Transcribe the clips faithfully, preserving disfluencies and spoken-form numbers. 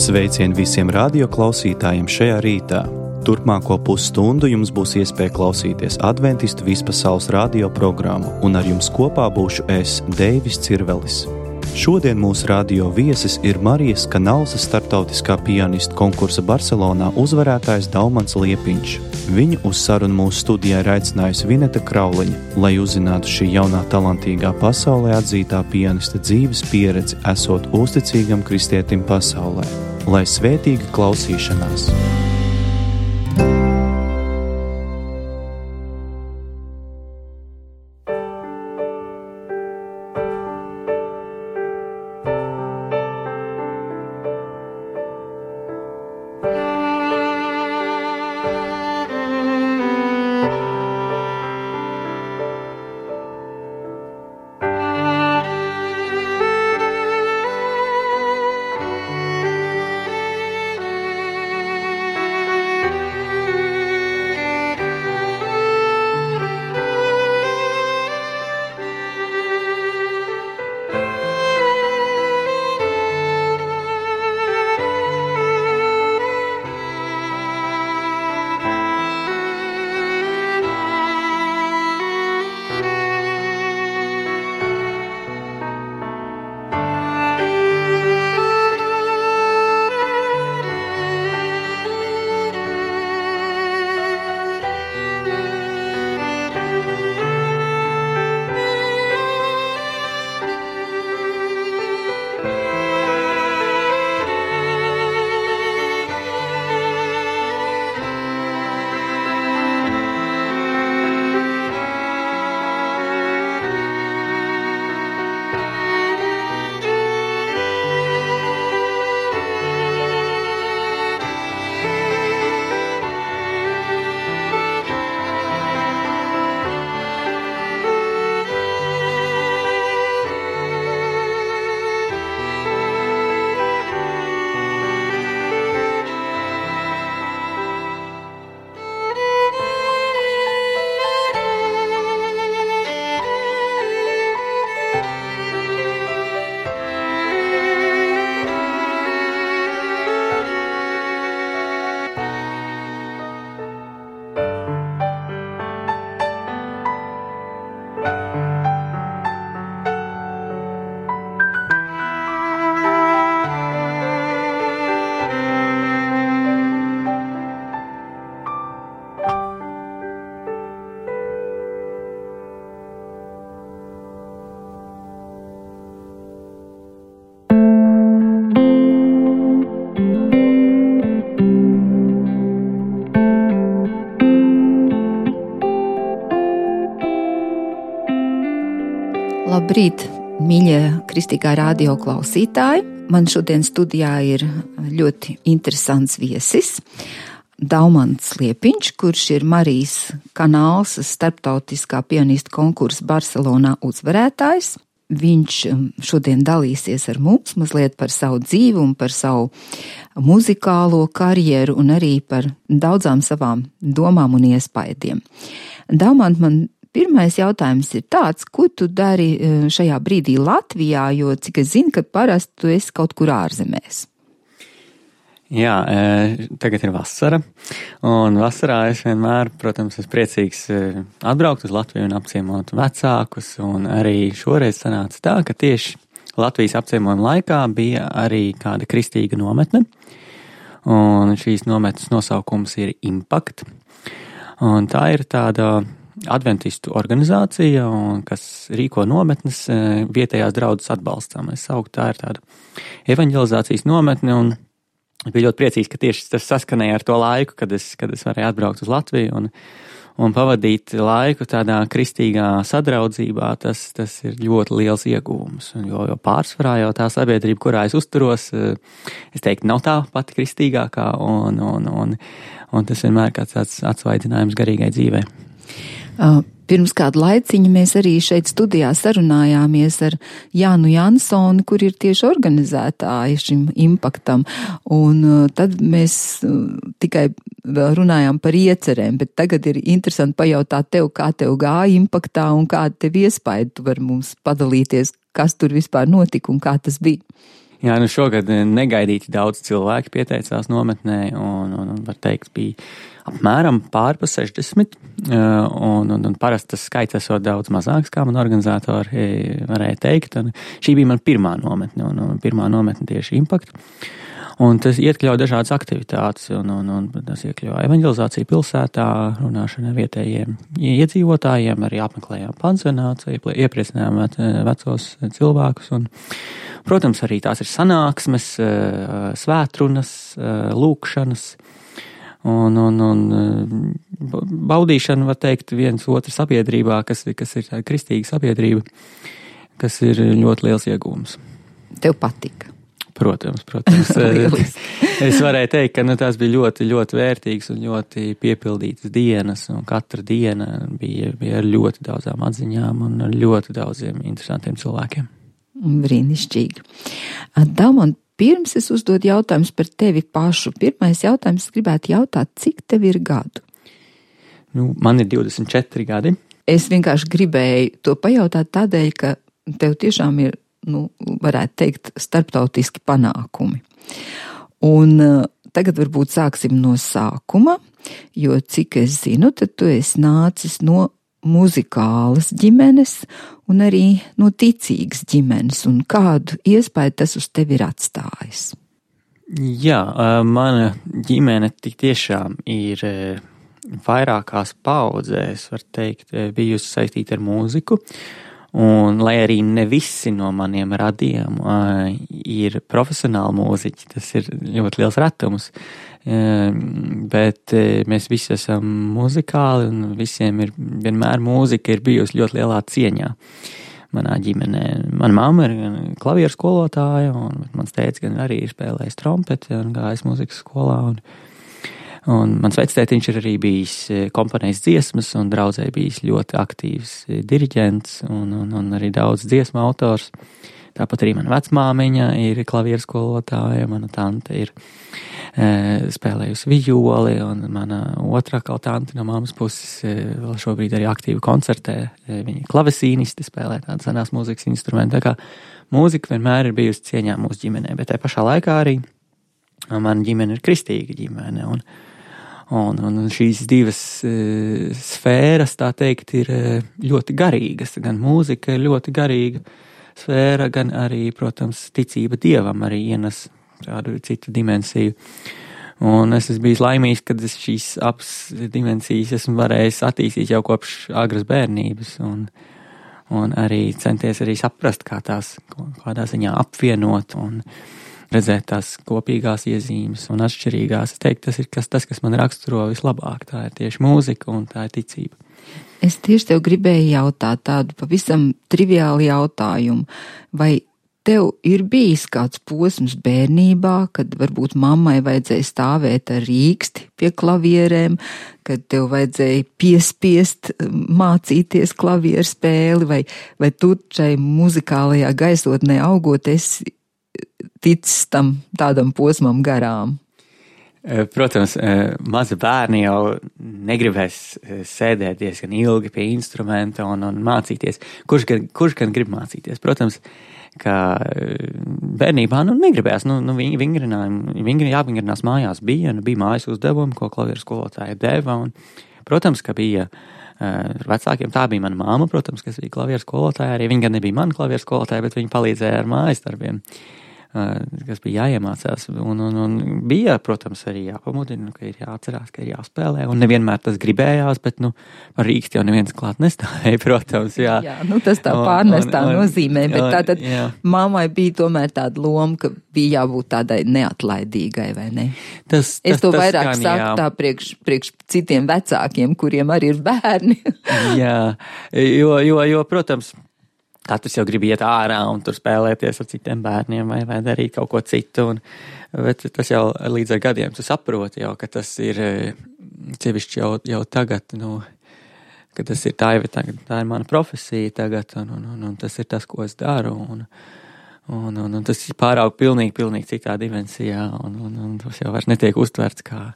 Sveicien visiem radioklausītājiem šajā rītā. Turpmāko pusstundu jums būs iespēja klausīties Adventistu vispasaules radio programmu, un ar jums kopā būšu es, Deivis Cirvelis. Šodien mūsu radio viesis ir Marijas Kanalsas starptautiskā pianistu konkursa Barcelonā uzvarētājs Daumans Liepiņš. Viņu uz sarunu mūsu studijā ir aicinājusi Vineta Krauliņa, lai uzzinātu šī jaunā talantīgā pasaulē atzītā pianista dzīves pieredzi, esot uzticīgam kristietim pasaulē. Lai svētīga klausīšanās! Labrīt, mīļie kristīgā radio klausītāji! Man šodien studijā ir ļoti interesants viesis, Daumans Liepiņš, kurš ir Marijas Kanalsas starptautiskā pianistu konkursa Barcelonā uzvarētājs. Viņš šodien dalīsies ar mums mazliet par savu dzīvi un par savu muzikālo karjeru un arī par daudzām savām domām un iespaidiem. Daumant, man pirmais jautājums ir tāds, ko tu dari šajā brīdī Latvijā, jo cik es zinu, ka parasti tu esi kaut kur ārzemēs. Jā, tagad ir vasara, un vasarā es vienmēr, protams, esmu priecīgs atbraukt uz Latviju un apciemot vecākus, un arī šoreiz sanāca tā, ka tieši Latvijas apciemojuma laikā bija arī kāda kristīga nometne, un šīs nometnes nosaukums ir Impact, un tā ir tāda adventistu organizācija, un kas rīko nometnes vietējās draudzes atbalstam. Es sauktu, tā ir tāda evanģelizācijas nometne, un bija ļoti priecīgs, ka tieši tas saskanēja ar to laiku, kad es, kad es varēju atbraukt uz Latviju un, un pavadīt laiku tādā kristīgā sadraudzībā. Tas, tas ir ļoti liels ieguvums, jo, jo pārsvarā jau tā sabiedrība, kurā es uzturos, es teiktu, nav tā pati kristīgākā, un, un, un, un tas vienmēr kāds tāds atsvaidzinājums garīgai dzīvei. Pirms kādu laiciņu mēs arī šeit studijā sarunājāmies ar Jānu Jansoni, kur ir tieši organizētāji šim impaktam, un tad mēs tikai runājām par iecerēm, bet tagad ir interesanti pajautāt tev, kā tev gāja impaktā un kāda tev iespaida, tu vari mums padalīties, kas tur vispār notika un kā tas bija. Jā, nu šogad negaidīti daudz cilvēki pieteicās nometnē, un, un, un var teikt, bija apmēram pār pa sešdesmit, un, un, un parasti tas skaits esot daudz mazāks, kā man organizatori varēja teikt, un šī bija man pirmā nometne, un, un pirmā nometne tieši Impact, un tas iekļauj dažādas aktivitātes, un, un, un tas iekļauj evanģelizāciju pilsētā, runāšanu ar vietējiem iedzīvotājiem, arī apmeklējām pansionāts, iepriecinājām vecos cilvēkus, un protams, arī tās ir sanāksmes, svētrunas, lūkšanas un, un, un baudīšana, var teikt, viens otru sabiedrībā, kas, kas ir tāda kristīga sabiedrība, kas ir ļoti liels iegūms. Tev patika? Protams, protams. Es varēju teikt, ka nu, tās bija ļoti, ļoti vērtīgas un ļoti piepildītas dienas, un katra diena bija, bija ar ļoti daudzām atziņām un ar ļoti daudziem interesantiem cilvēkiem. Brīnišķīgi. Daumant, pirms es uzdod jautājumus par tevi pašu. Pirmais jautājums gribētu jautāt, cik tev ir gadu? Nu, man ir divdesmit četri gadi. Es vienkārši gribēju to pajautāt tādēļ, ka tev tiešām ir, nu, varētu teikt, starptautiski panākumi. Un uh, tagad varbūt sāksim no sākuma, jo cik es zinu, tad tu esi nācis no muzikālas ģimenes un arī no ticīgas ģimenes, un kādu iespēju tas uz tevi ir atstājis? Jā, mana ģimene tik tiešām ir vairākās paudzēs, var teikt, bijusi saistīta ar mūziku, un lai arī ne visi no maniem radiem ir profesionāli mūziķi, tas ir ļoti liels retums, bet mēs visi esam muzikāli un visiem ir vienmēr mūzika ir bijusi ļoti lielā cieņā. Manā ģimenē, mana mamma ir klavieru skolotāja, un mans tētis gan arī ir spēlējis trompeti un gājis mūzikas skolā, un, un mans vectētiņš ir arī bijis komponējis dziesmas, un draudzē bijis ļoti aktīvs diriģents un, un, un arī daudz dziesmu autors. Tāpat arī mana vecmāmiņa ir klavieru skolotāja, mana tante ir e, spēlējusi violi, un mana otrā kā tante no mammas puses e, vēl šobrīd arī aktīvi koncertē. E, viņa ir klavesīnisti, spēlē tādas senās mūzikas instrumentu. Tā kā mūzika vienmēr ir bijusi cieņā mūsu ģimenē, bet tajā pašā laikā arī mana ģimene ir kristīga ģimene, un, un, un šīs divas e, sfēras, tā teikt, ir ļoti garīgas. Gan mūzika ir ļoti garīga sfēra, gan arī, protams, ticība Dievam arī ienes tādu citu dimensiju. Un es esmu bijis laimīgs, kad es šīs abas dimensijas esmu varējis attīstīt jau kopš agras bērnības, un, un arī centies arī saprast, kā tās kādā ziņā apvienot un redzēt tās kopīgās iezīmes un atšķirīgās. Es teiktu, tas ir kas, tas, kas man raksturo vislabāk. Tā ir tieši mūzika un tā ir ticība. Es tieši tev gribēju jautāt tādu pavisam triviālu jautājumu. Vai tev ir bijis kāds posms bērnībā, kad varbūt mammai vajadzēja stāvēt ar rīksti pie klavierēm, kad tev vajadzēja piespiest mācīties klavieru spēli, vai, vai tu šai muzikālajā gaisotnē augot esi ticis tam tādam posmam garām? Protams, mazi bērni jau negribēs sēdēt diezgan ilgi pie instrumenta un, un mācīties. Kurš gan, kurš gan grib mācīties? Protams, ka bērnībā nu, negribējās, nu, nu vingrinājumi, vingri, jāvingrinās mājās bija, nu, bija mājas uzdevumi, ko klavieru skolotāja deva, un, protams, ka bija uh, vecākiem, tā bija mana māma, protams, kas bija klavieru skolotāja, arī viņa gan nebija mana klavieru skolotāja, bet viņa palīdzēja ar mājas darbiem, uh, kas bija jāiemācās, un, un, un bija, protams, arī jāpamudina, ka ir jāatcerās, ka ir jāspēlē, un nevienmēr tas gribējās, bet, nu, par rīksti jau neviens klāt nestāvēja, protams, jā. Jā, nu tas tā pārnestā un, un, nozīmē, bet un, tātad jā. Mammai bija tomēr tāda loma, ka bija jābūt tādai neatlaidīgai, vai ne? Tas, tas, es to tas vairāk gan, saku jā. tā priekš, priekš citiem vecākiem, kuriem arī ir bērni. Jā, jo, jo, jo, protams, katrs jau grib iet ārā un tur spēlēties ar citiem bērniem vai, vai darīt kaut ko citu, un, bet tas jau līdz ar gadiem tu saproti jau, ka tas ir sevišķi jau, jau tagad, nu, ka tas ir tā, tā, tā ir mana profesija tagad, un, un, un, un tas ir tas, ko es daru, un, un, un, un tas ir pārāk pilnīgi, pilnīgi citā dimensijā, un, un, un tas jau vairs netiek uztverts kā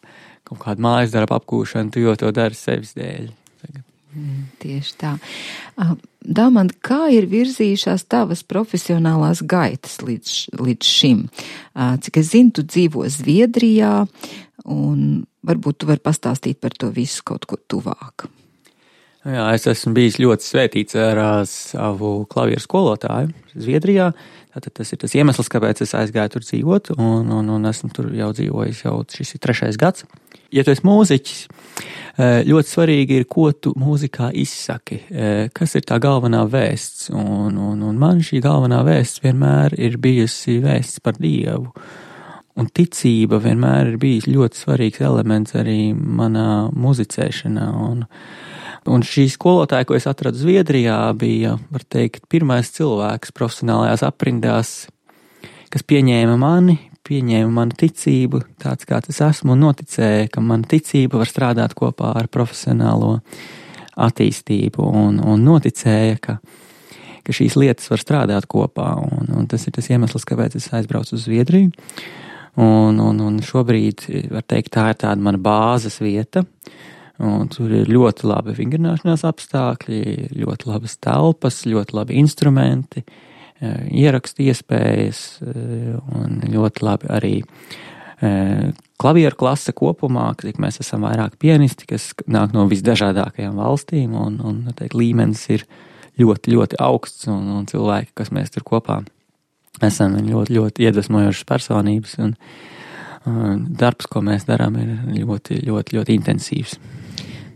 kaut kāda mājas darba apgūšana, tu jau to dari sevis dēļ. Tagad. Mm, tieši tā. Daumant, kā ir virzījušās tavas profesionālās gaitas līdz, līdz šim? Cik es zinu, tu dzīvo Zviedrijā, un varbūt tu vari pastāstīt par to visu kaut ko tuvāk. Jā, es esmu bijis ļoti svētīts ar savu klavieru skolotāju Zviedrijā. Tātad tas ir tas iemesls, kāpēc es aizgāju tur dzīvot, un, un, un esmu tur jau dzīvojis, jau šis ir trešais gads. Ja tu esi mūziķis, ļoti svarīgi ir, ko tu mūzikā izsaki, kas ir tā galvenā vēsts, un, un, un man šī galvenā vēsts vienmēr ir bijusi vēsts par Dievu, un ticība vienmēr ir bijis ļoti svarīgs elements arī manā muzicēšanā, un, un šī skolotāja, ko es atradu Zviedrijā, bija, var teikt, pirmais cilvēks profesionālajās aprindās, kas pieņēma mani, pieņēma manu ticību, tāds kā es esmu, un noticēja, ka mana ticība var strādāt kopā ar profesionālo attīstību, un, un noticēja, ka, ka šīs lietas var strādāt kopā, un, un tas ir tas iemesls, kāpēc es aizbraucu uz Zviedriju, un, un, un šobrīd, var teikt, tā ir tāda mana bāzes vieta, un tur ir ļoti labi vingrināšanās apstākļi, ļoti labas telpas, ļoti labi instrumenti, ierakstu iespējas un ļoti labi arī klavieru klase kopumā, cik mēs esam vairāk pianisti, kas nāk no visdažādākajām valstīm, un, un teikt, līmenis ir ļoti, ļoti augsts, un, un cilvēki, kas mēs tur kopā esam, ļoti, ļoti iedvesmojošas personības, un, un darbs, ko mēs darām, ir ļoti, ļoti, ļoti intensīvs.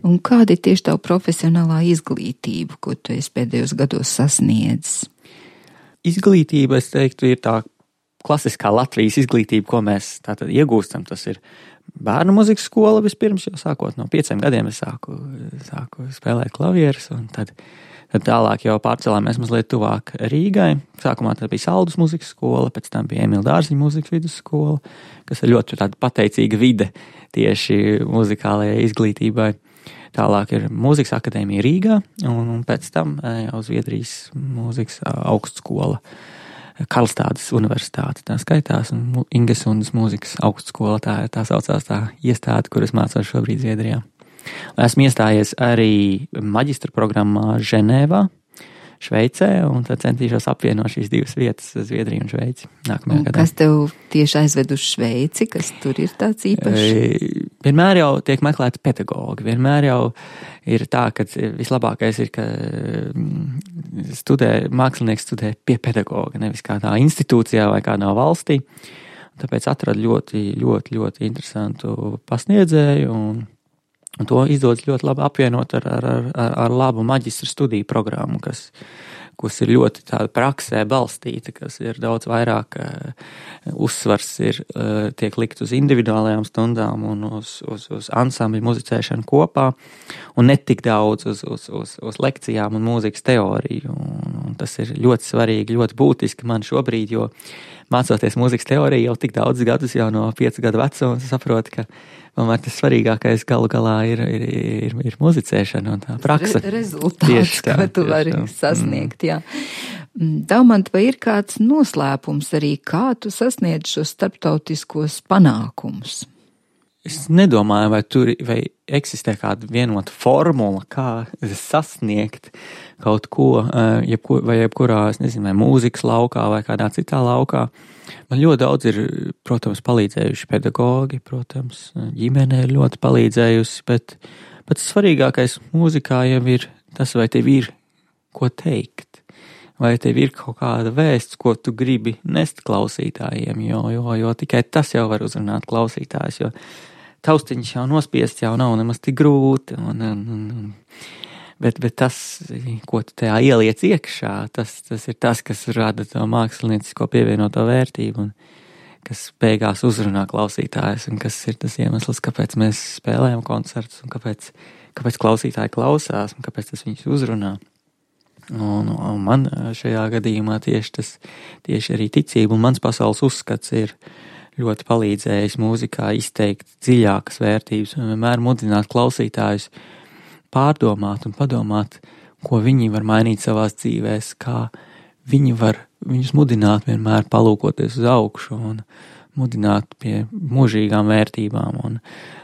Un kāda ir tieši tavu profesionālā izglītība, ko tu esi pēdējos gados sasniedzis? Izglītība, es teiktu, ir tā klasiskā Latvijas izglītība, ko mēs tātad iegūstam. Tas ir bērnu muzikas skola vispirms, jau sākot no pieciem gadiem es sāku, sāku spēlēt klavierus, un tad, tad tālāk jau pārcelāmies mazliet tuvāk Rīgai. Sākumā tā bija Saldus muzikas skola, pēc tam bija Emīla Dārziņa muzikas vidusskola, kas ir ļoti tāda pateicīga vide tieši muzikālajai izglītībai. Tālāk ir Mūzikas akadēmija Rīgā, un, un pēc tam jau Zviedrijas mūzikas augstskola, Karlstādes universitāte tā skaitās, un Ingesundas mūzikas augstskola, tā, tā saucās tā iestāde, kur es mācos šobrīd Zviedrijā. Esmu iestājies arī maģistra programmā Ženēvā, Šveicē, un tad centīšos apvienot šīs divas vietas, Zviedriju un Šveici, nākamajā gadā. Kas tev tieši aizved uz Šveici, kas tur ir tāds īpašs? Vienmēr jau tiek meklēti pedagogi, vienmēr jau ir tā, ka vislabākais ir, ka studē, mākslinieks studē pie pedagoga, nevis kādā institūcijā vai kādā valstī. Tāpēc atradu ļoti, ļoti, ļoti interesantu pasniedzēju, un Un to izdodas ļoti labi apvienot ar, ar, ar, ar labu maģistra studiju programmu, kas, kas ir ļoti tāda praksē balstīta, kas ir daudz vairāk uh, uzsvars ir, uh, tiek likt uz individuālajām stundām un uz, uz, uz ansambļu muzicēšanu kopā, un ne tik daudz uz, uz, uz, uz lekcijām un mūzikas teoriju. Un, un tas ir ļoti svarīgi, ļoti būtiski man šobrīd, jo mācoties mūzikas teoriju jau tik daudz gadus, jau no piecu gadu vecuma, saprotu, ka tomēr tas svarīgākais galu galā ir, ir, ir, ir muzicēšana un tā praksa. Re, rezultāts, tā, ko tu vari tā. sasniegt, jā. Daumant, vai ir kāds noslēpums arī, kā tu sasniedz šos starptautiskos panākumus? Es nedomāju, vai tur vai eksistē kāda vienota formula, kā sasniegt kaut ko, jebko, vai jebkurā, es nezinu, vai mūzikas laukā vai kādā citā laukā. Man ļoti daudz ir, protams, palīdzējuši pedagogi, protams, ģimene ir ļoti palīdzējusi, bet pats svarīgākais mūzikā jau ir tas, vai tev ir ko teikt, vai tev ir kaut kāda vēsts, ko tu gribi nest klausītājiem, jo, jo, jo tikai tas jau var uzrunāt klausītājus, jo taustiņš jau nospiest jau nav nemaz tik grūti, un, un, un, bet, bet tas, ko tu tajā ieliec iekšā, tas, tas ir tas, kas rada to māksliniecisko pievienoto vērtību, un kas beigās uzrunā klausītājus, un kas ir tas iemesls, kāpēc mēs spēlējam koncertus, un kāpēc, kāpēc klausītāji klausās, un kāpēc tas viņus uzrunā. Un, un man šajā gadījumā tieši tas, tieši arī ticība un mans pasaules uzskats ir ļoti palīdzējis mūzikā izteikt dziļākas vērtības un vienmēr mudināt klausītājus pārdomāt un padomāt, ko viņi var mainīt savās dzīvēs, kā viņi var viņus mudināt vienmēr palūkoties uz augšu un mudināt pie mūžīgām vērtībām, un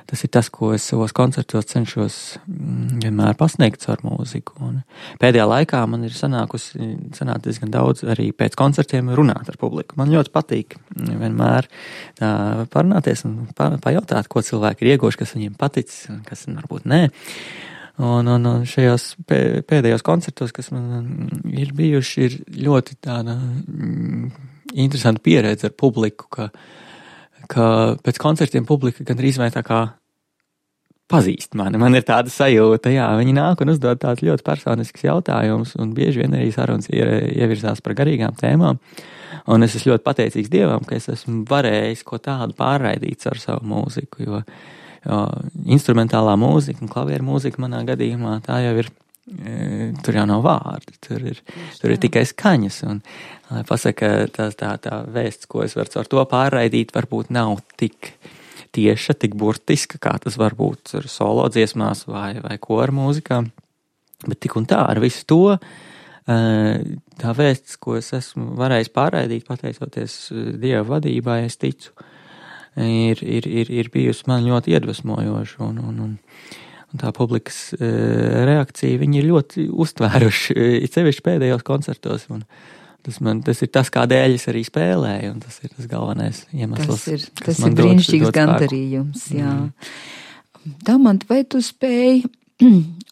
tas ir tas, ko es savos koncertos cenšos vienmēr pasniegt ar mūziku, un pēdējā laikā man ir sanākusi, sanāk diezgan daudz arī pēc koncertiem runāt ar publiku. Man ļoti patīk vienmēr tā parunāties un pa, pajautāt, ko cilvēki ir ieguvuši, kas viņiem paticis, kas varbūt nē. Un, un, un šajos pēdējos koncertos, kas man ir bijuši, ir ļoti tāda mm, interesanta pieredze ar publiku, ka, ka pēc koncertiem publika gandrīz vai tā kā pazīst mani. Man ir tāda sajūta, jā, viņi nāk un uzdod tāds ļoti personisks jautājums, un bieži vien arī sarunas ievirzās par garīgām tēmām. Un es esmu ļoti pateicīgs Dievam, ka es esmu varējis ko tādu pārraidīt ar savu mūziku, jo Jo instrumentālā mūzika un klavieru mūzika manā gadījumā tā jau ir, e, tur jau nav vārdi, tur ir, tur ir tikai skaņas. Un, lai pasaka, tā, tā, tā vēsts, ko es varu ar to pārraidīt, varbūt nav tik tieša, tik burtiska, kā tas var būt ar solo dziesmās vai, vai koru mūzikā. Bet tik un tā, ar visu to, e, tā vēsts, ko es esmu varējis pārraidīt, pateicoties Dieva vadībai, es ticu, Ir, ir, ir, ir bijusi man ļoti iedvesmojoša, un, un, un, un tā publikas e, reakcija, viņi ir ļoti uztvēruši, ir sevišķi pēdējos koncertos, un tas, man, tas ir tas, kādēļ es arī spēlēju, un tas ir tas galvenais iemesls. Tas ir, tas ir brīnišķīgs gandarījums, jā. Mm. Damant, vai tu spēji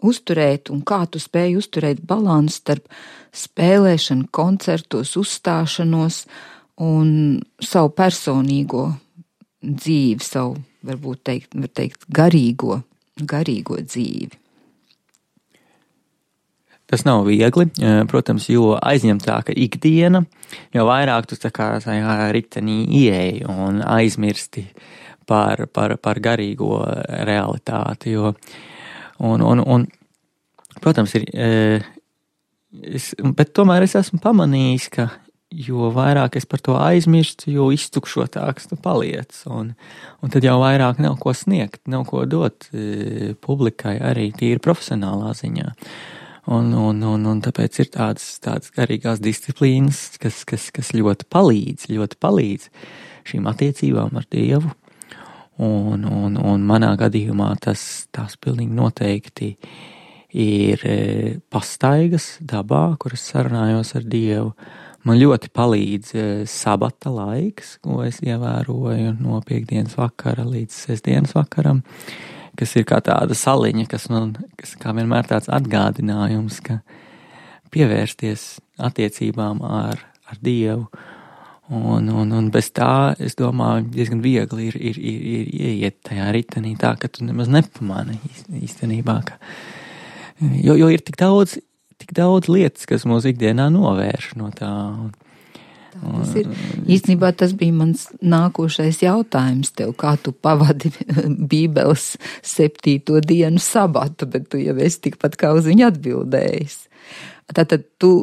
uzturēt, un kā tu spēji uzturēt balansu starp spēlēšanu, koncertos, uzstāšanos un savu personīgo dzīvi, savu, varbūt teikt, var teikt, garīgo, garīgo dzīvi? Tas nav viegli, protams, jo aizņemtāka ikdiena, jo vairāk tu tā kā tajā ritenī ieeji un aizmirsti par, par, par garīgo realitāti, jo, un, un, un protams, ir, es, bet tomēr es esmu pamanījis, ka jo vairāk es par to aizmirstu, jo iztukšotāks tu paliec. Un, un tad jau vairāk nav ko sniegt, nav ko dot e, publikai arī tīri profesionālā ziņā. Un, un, un, un tāpēc ir tādas, tādas garīgās disciplīnas, kas, kas, kas ļoti palīdz, ļoti palīdz šīm attiecībām ar Dievu. Un, un, un manā gadījumā tas tās pilnīgi noteikti ir e, pastaigas dabā, kuras sarunājos ar Dievu. Man ļoti palīdz sabata laiks, ko es ievēroju no piekdienas vakara līdz sestdienas vakaram, kas ir kā tāda saliņa, kas man, kas kā vienmēr tāds atgādinājums, ka pievērsties attiecībām ar, ar Dievu. Un, un, un bez tā, es domāju, diezgan viegli ir, ir, ir, ir ieiet tajā ritenī tā, ka tu nemaz nepamani īstenībā, ka, jo, jo ir tik daudz, tik daudz lietas, kas mūsu ikdienā novērš no tā. Tā tas ir. Īstenībā tas bija mans nākošais jautājums tev, kā tu pavadi Bībeles septīto dienu sabatu, bet tu jau esi tikpat kā uz viņu atbildējis. Tātad tu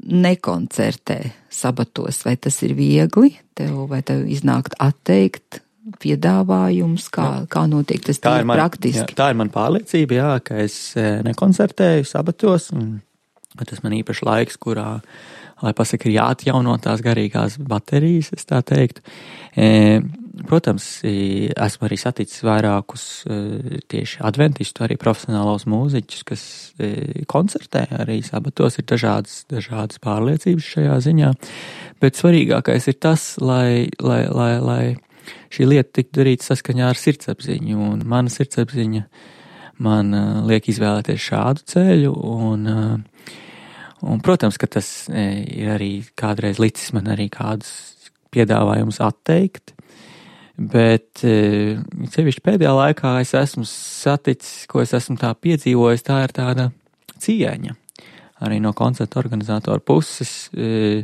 nekoncertē sabatos, vai tas ir viegli tev, vai tev iznākt atteikt piedāvājums, kā, kā notiek tas tā man, praktiski? Jā, tā ir man pārliecība, jā, ka es nekoncertēju sabatos, un tas man īpaši laiks, kurā, lai pasaka, ir jāatjauno tās garīgās baterijas, es tā teiktu. E, protams, esmu arī saticis vairākus tieši adventistu, arī profesionālos mūziķus, kas koncertē arī sabatos, ir dažādas, dažādas pārliecības šajā ziņā, bet svarīgākais ir tas, lai, lai, lai, lai šī lieta tiktu darīta saskaņā ar sirdsapziņu, un mana sirdsapziņa man uh, liek izvēlēties šādu ceļu, un, uh, un, protams, ka tas e, ir arī kādreiz licis man arī kādus piedāvājumus atteikt, bet e, sevišķi pēdējā laikā es esmu saticis, ko es esmu tā piedzīvojis, tā ir tāda cieņa arī no koncerta organizatora puses, e,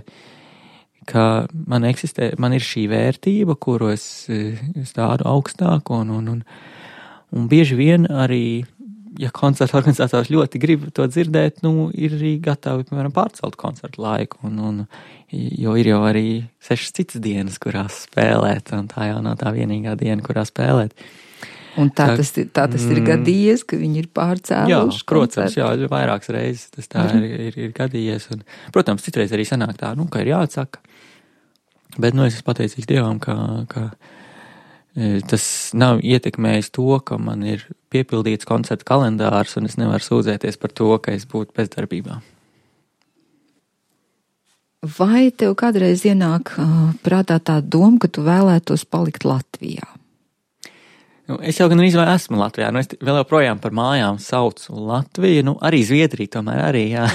ka man eksistē, man ir šī vērtība, kuru es, es tādu augstāku, un, un, un, un bieži vien arī, ja koncerta organizators ļoti grib to dzirdēt, nu, ir arī gatavi, piemēram, pārcelt koncertu laiku, un, un, jo ir jau arī sešas citas dienas, kurās spēlēt, un tā jau nav tā vienīgā diena, kurā spēlēt. Un tā, tā tas, tā tas ir mm, gadījies, ka viņi ir pārcēluši? Jā, protams, jā, vairākas reizes tas tā ir, ir, ir gadījies. Un, protams, citreiz arī sanāk tā, nu, ka ir jāatsaka. Bet, nu, es esmu pateicīgs Dievam, ka, ka tas nav ietekmējis to, ka man ir piepildīts koncertu kalendārs un es nevaru sūdzēties par to, ka es būtu bezdarbībā. Vai tev kādreiz ienāk uh, prātā tā doma, ka tu vēlētos palikt Latvijā? Nu, es jau gan arī esmu Latvijā, nu es vēl joprojām par mājām saucu Latviju, nu arī Zviedriju tomēr arī, jā.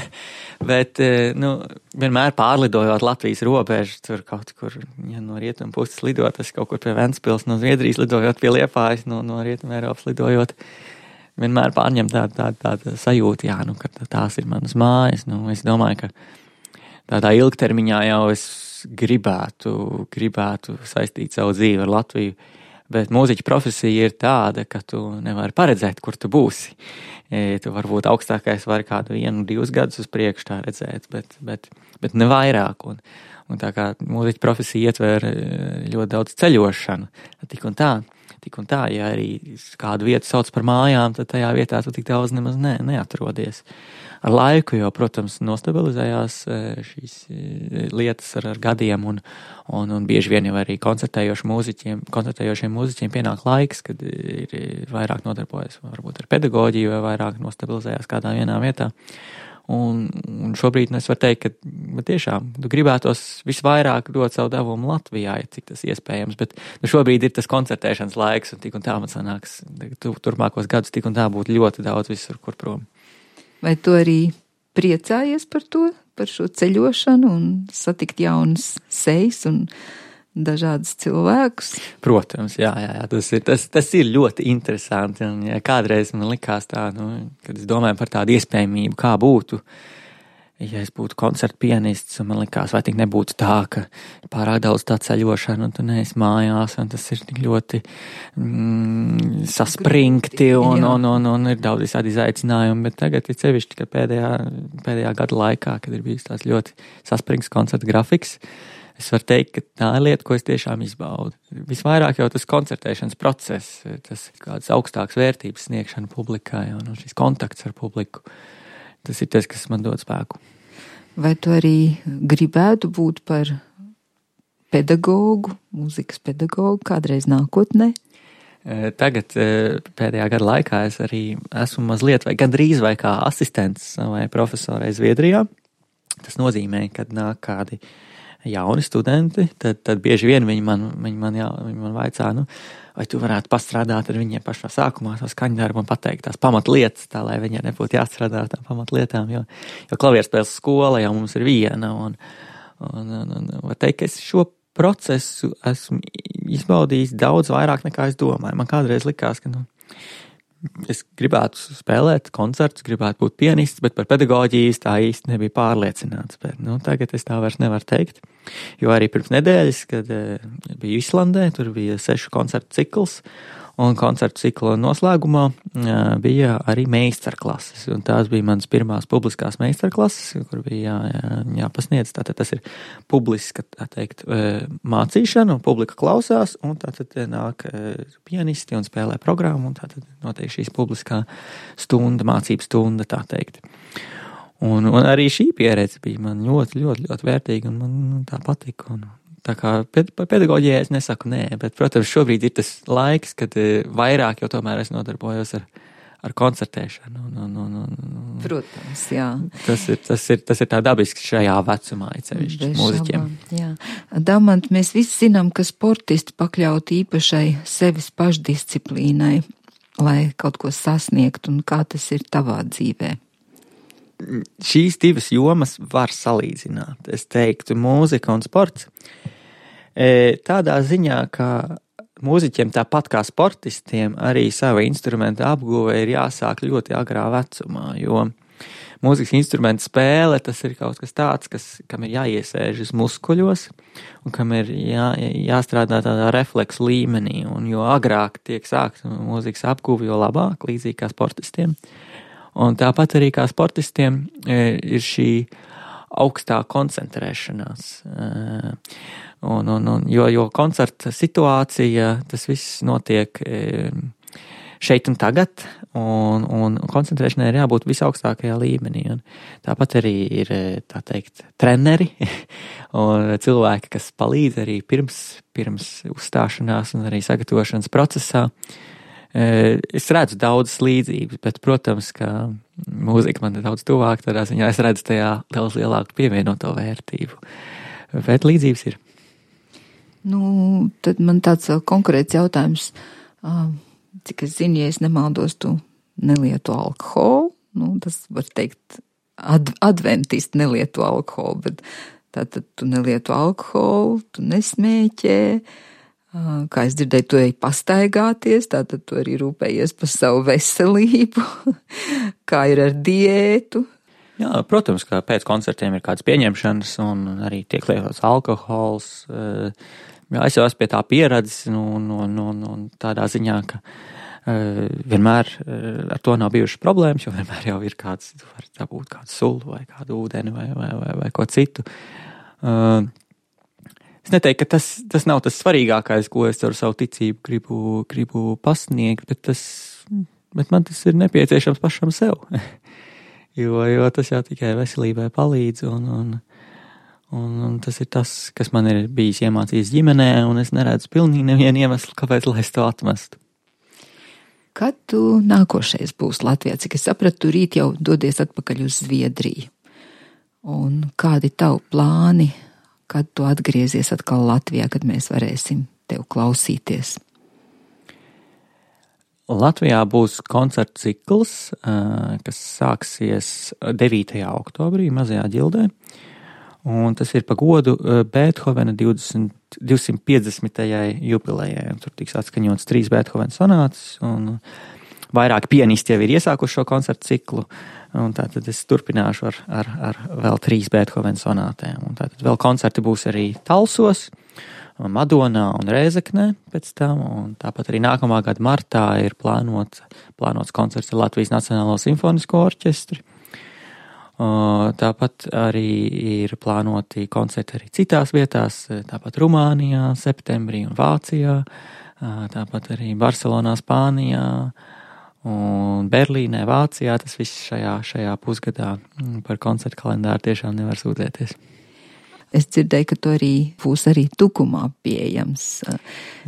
Bet, nu, vienmēr pārlidojot Latvijas robežu, tur kaut kur, ja no rietumu puses lidot, tas kaut kur pie Ventspils, no Zviedrijas lidojot pie Liepājas, no, no rietumu Eiropas lidojot, vienmēr pārņem tādu tā, tā, tā sajūtu, jā, nu, ka tās ir manas mājas, nu, es domāju, ka tādā ilgtermiņā jau es gribētu, gribētu saistīt savu dzīvi ar Latviju, bet mūziķa profesija ir tāda, ka tu nevari paredzēt, kur tu būsi. E, tu varbūt augstākais var kādu vienu, divus gadus uz priekšu tā redzēt, bet, bet, bet ne vairāk. Un, un tā kā mūziķa profesija ietver ļoti daudz ceļošanu, tik un tā, tik un tā, ja arī kādu vietu sauc par mājām, tad tajā vietā tu tik daudz nemaz ne, neatrodies. Ar laiku, jo, protams, nostabilizējās šīs lietas ar, ar gadiem, un, un, un bieži vien jau arī koncertējošiem mūziķiem, koncertējošiem mūziķiem pienāk laiks, kad ir vairāk nodarbojas varbūt ar pedagoģiju, vai vairāk nostabilizējās kādā vienā vietā. Un, un šobrīd es varu teikt, ka tiešām tu gribētos visvairāk dot savu devumu Latvijā, ja cik tas iespējams, bet nu, šobrīd ir tas koncertēšanas laiks, un tik un tā man sanāks, tu, turpmākos gadus tik un tā būtu ļoti daudz visur, kur prom. Vai tu arī priecājies par to, par šo ceļošanu un satikt jaunas sejas un dažādas cilvēkus? Protams, jā, jā, jā tas, ir, tas, tas ir ļoti interesanti. Un, ja kādreiz man likās tā, nu, kad es domāju par tādu iespējamību, kā būtu, ja es būtu koncertu pianists, un man likās, vai tik nebūtu tā, ka pārāk daudz tā ceļošana, un tu neesi mājās, un tas ir tik ļoti mm, saspringti, un, un, un, un ir daudz visādi izaicinājumi, bet tagad ir sevišķi, ka pēdējā, pēdējā gada laikā, kad ir bijis tās ļoti saspringts koncerta grafiks, es varu teikt, ka tā ir lieta, ko es tiešām izbaudu. Visvairāk jau tas koncertēšanas process, tas kādas augstākas vērtības sniegšana publikai, un šis kontakts ar publiku, tas ir tas, kas man dod spēku. Vai tu arī gribētu būt par pedagogu, mūzikas pedagogu kādreiz nākotnē? Tagad pēdējā gada laikā es arī esmu mazliet vai gandrīz vai kā asistents vai profesorai Zviedrijā. Tas nozīmē, kad nāk kādi jauni studenti, tad, tad bieži vien viņi man, viņi man, jā, viņi man vaicā, nu, vai tu varētu pastrādāt ar viņiem pašā sākumā to skaņdarbu un pateikt tās pamatlietas, tā lai viņiem nebūtu jāstrādā ar tām pamatlietām, jo, jo klavierspēles skola jau mums ir viena, un, un, un, un var teikt, ka es šo procesu esmu izbaudījis daudz vairāk nekā es domāju. Man kādreiz likās, ka, nu, es gribētu spēlēt koncertus, gribētu būt pianists, bet par pedagoģijas tā īsti nebija pārliecināts. Bet, nu, tagad es tā vairs nevaru teikt, jo arī pirms nedēļas, kad e, biju Islandē, tur bija sešu koncertu cikls, un koncertu cikla noslēgumā e, bija arī meistarklases, un tās bija manas pirmās publiskās meistarklases, kur bija jā, jā, jāpasniedz, tātad tas ir publiska, tā teikt, e, mācīšana, un publika klausās, un tātad nāk e, pianisti un spēlē programmu, un tātad notiek šīs publiskā stunda, mācību stunda, tā teikt. Un, un arī šī pieredze bija man ļoti, ļoti, ļoti vērtīga, un man tā patika, un tā kā par pedagoģijai es nesaku nē, bet, protams, šobrīd ir tas laiks, kad vairāk jau tomēr es nodarbojos ar, ar koncertēšanu. Un, un, un, un, Protams, jā. Tas ir, tas ir, tas ir tā dabiski šajā vecumā, cevišķi mūziķiem. Jā. Damant, mēs visi zinām, ka sportisti pakļauti īpašai sevis pašdisciplīnai, lai kaut ko sasniegtu, un kā tas ir tavā dzīvē? Šīs divas jomas var salīdzināt. Es teiktu, mūzika un sports. E, tādā ziņā, ka mūziķiem tāpat kā sportistiem arī sava instrumenta apguve ir jāsāk ļoti agrā vecumā, jo mūzikas instrumenta spēle tas ir kaut kas tāds, kas, kam ir jāiesēžas muskuļos un kam ir jā, jāstrādā tādā refleksu līmenī, un jo agrāk tiek sākt mūzikas apguve, jo labāk, līdzīgi kā sportistiem. Un tāpat arī kā sportistiem ir šī augstā koncentrēšanās. Un, un, un, jo, jo koncerta situācija, tas viss notiek šeit un tagad, un, un koncentrēšanai ir jābūt visaugstākajā līmenī. Un tāpat arī ir, tā teikt, treneri un cilvēki, kas palīdz arī pirms, pirms uzstāšanās un arī sagatavošanas procesā. Es redzu daudzas līdzības, bet, protams, ka mūzika man ir daudz tuvāk, tādā ziņā es redzu tajā daudz lielāku pievienoto vērtību. Bet līdzības ir. Nu, tad man tāds konkrēts jautājums. Cik es zinu, ja es nemaldos, tu nelieto alkoholu, nu, tas var teikt, ad, adventisti nelieto alkoholu, bet tātad tu nelieto alkoholu, tu nesmēķē, kā es dzirdēju, tu ej pastaigāties, tātad tu arī rūpējies par savu veselību, kā ir ar diētu. Jā, protams, ka pēc koncertiem ir kādas pieņemšanas un arī tiek lietots alkohols. Jā, es jau esmu pie tā pieredzis un, un, un, un tādā ziņā, ka uh, vienmēr uh, ar to nav bijušas problēmas, jo vienmēr jau ir kāds, var dabūt kādu sulu vai kādu ūdeni vai, vai, vai, vai ko citu. Uh, es neteiktu, ka tas, tas nav tas svarīgākais, ko es ar savu ticību gribu, gribu pasniegt, bet, tas, bet man tas ir nepieciešams pašam sev. jo, jo tas jau tikai veselībai palīdz un, un Un, un tas ir tas, kas man ir bijis iemācījis ģimenē, un es neredzu pilnīgi nevienu iemeslu, kāpēc, lai es to atmestu. Kad tu nākošais būs Latvijā? Cik es sapratu, tu rīt jau dodies atpakaļ uz Zviedriju. Un kādi tavu plāni, kad tu atgriezies atkal Latvijā, kad mēs varēsim tev klausīties? Latvijā būs koncertu cikls, kas sāksies devītajā oktobrī Mazajā Ģildē. Un tas ir pa godu Beethovena divsimt piecdesmitajai jubilejai. Tur tiks atskaņots trīs Beethovena sonātas, un vairāki pianisti jau ir iesākuši šo koncertu ciklu. Un tātad es turpināšu ar, ar, ar vēl trīs Beethovena sonātēm. Un tātad vēl koncerti būs arī Talsos, Madonā un Rēzeknē pēc tam. Un tāpat arī nākamā gada martā ir plānots, plānots koncerts ar Latvijas Nacionālo simfonisko orķestri. Tāpat arī ir plānoti koncerti arī citās vietās, tāpat Rumānijā, septembrī un Vācijā, tāpat arī Barcelonā, Spānijā un Berlīnē, Vācijā. Tas viss šajā, šajā pusgadā par koncertu kalendāru tiešām nevar sūdzēties. Es dzirdēju, ka tu arī būs arī Tukumā pieejams.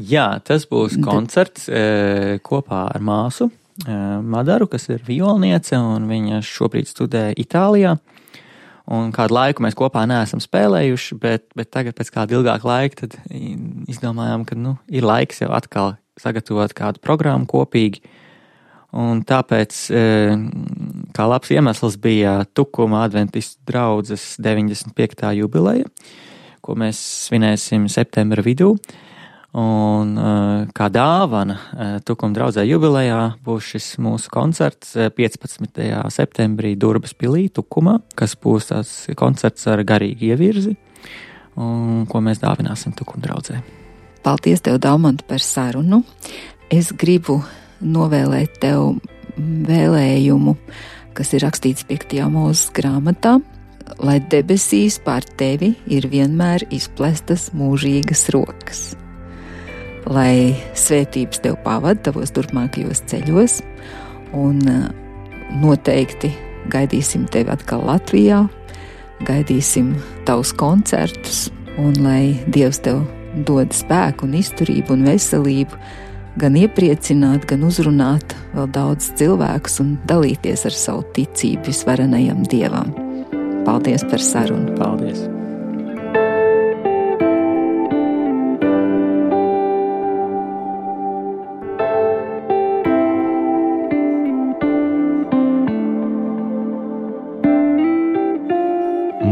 Jā, tas būs koncerts e, kopā ar māsu Madaru, kas ir violniece, un viņa šobrīd studē Itālijā. Un kādu laiku mēs kopā neesam spēlējuši, bet, bet tagad pēc kāda ilgāka laika tad izdomājām, ka nu, ir laiks jau atkal sagatavot kādu programmu kopīgi. Un tāpēc, kā labs iemesls, bija Tukuma adventistu draudzes deviņdesmit piektā jubileja, ko mēs svinēsim septembra vidū. Un kā dāvana Tukuma draudzē jubilejā būs šis mūsu koncerts piecpadsmitajā septembrī Durbas pilī Tukumā, kas būs tāds koncerts ar garīgu ievirzi, un ko mēs dāvināsim Tukuma draudzē. Paldies tev, Daumant, par sarunu. Es gribu novēlēt tev vēlējumu, kas ir rakstīts piektajā mūzes grāmatā, lai debesīs pār tevi ir vienmēr izplestas mūžīgas rokas. Lai svētības tev pavada tavos turpmākajos ceļos, un noteikti gaidīsim tevi atkal Latvijā, gaidīsim tavus koncertus, un lai Dievs tev dod spēku un izturību un veselību, gan iepriecināt, gan uzrunāt vēl daudz cilvēkus un dalīties ar savu ticību visvarenajam Dievam. Paldies par sarunu. Paldies.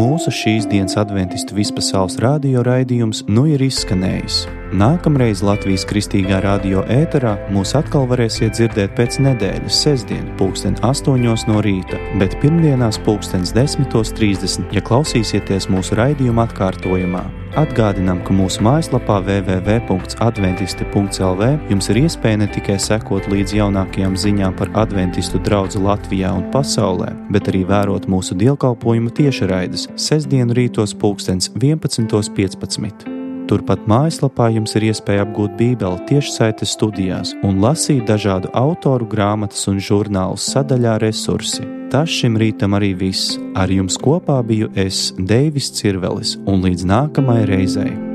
Mūsu šīs dienas adventistu vispasaules radio raidījums nu ir izskanējis. Nākamreiz Latvijas Kristīgā radio ēterā mūs atkal varēsiet dzirdēt pēc nedēļas sestdien pulksten astoņos no rīta, bet pirmdienās pulkstens desmitos trīsdesmit, ja klausīsieties mūsu raidījuma atkārtojumā. Atgādinām, ka mūsu mājaslapā w w w punkts adventisti punkts l v jums ir iespēja ne tikai sekot līdz jaunākajām ziņām par adventistu draudzi Latvijā un pasaulē, bet arī vērot mūsu dievkalpojumu tiešraides sestdienu rītos pulkstens vienpadsmitos piecpadsmit. Turpat mājaslapā jums ir iespēja apgūt Bībeli tiešsaites studijās un lasīt dažādu autoru grāmatas un žurnālus sadaļā resursi. Tas šim rītam arī viss. Ar jums kopā biju es, Deivis Cirvelis, un līdz nākamajai reizei.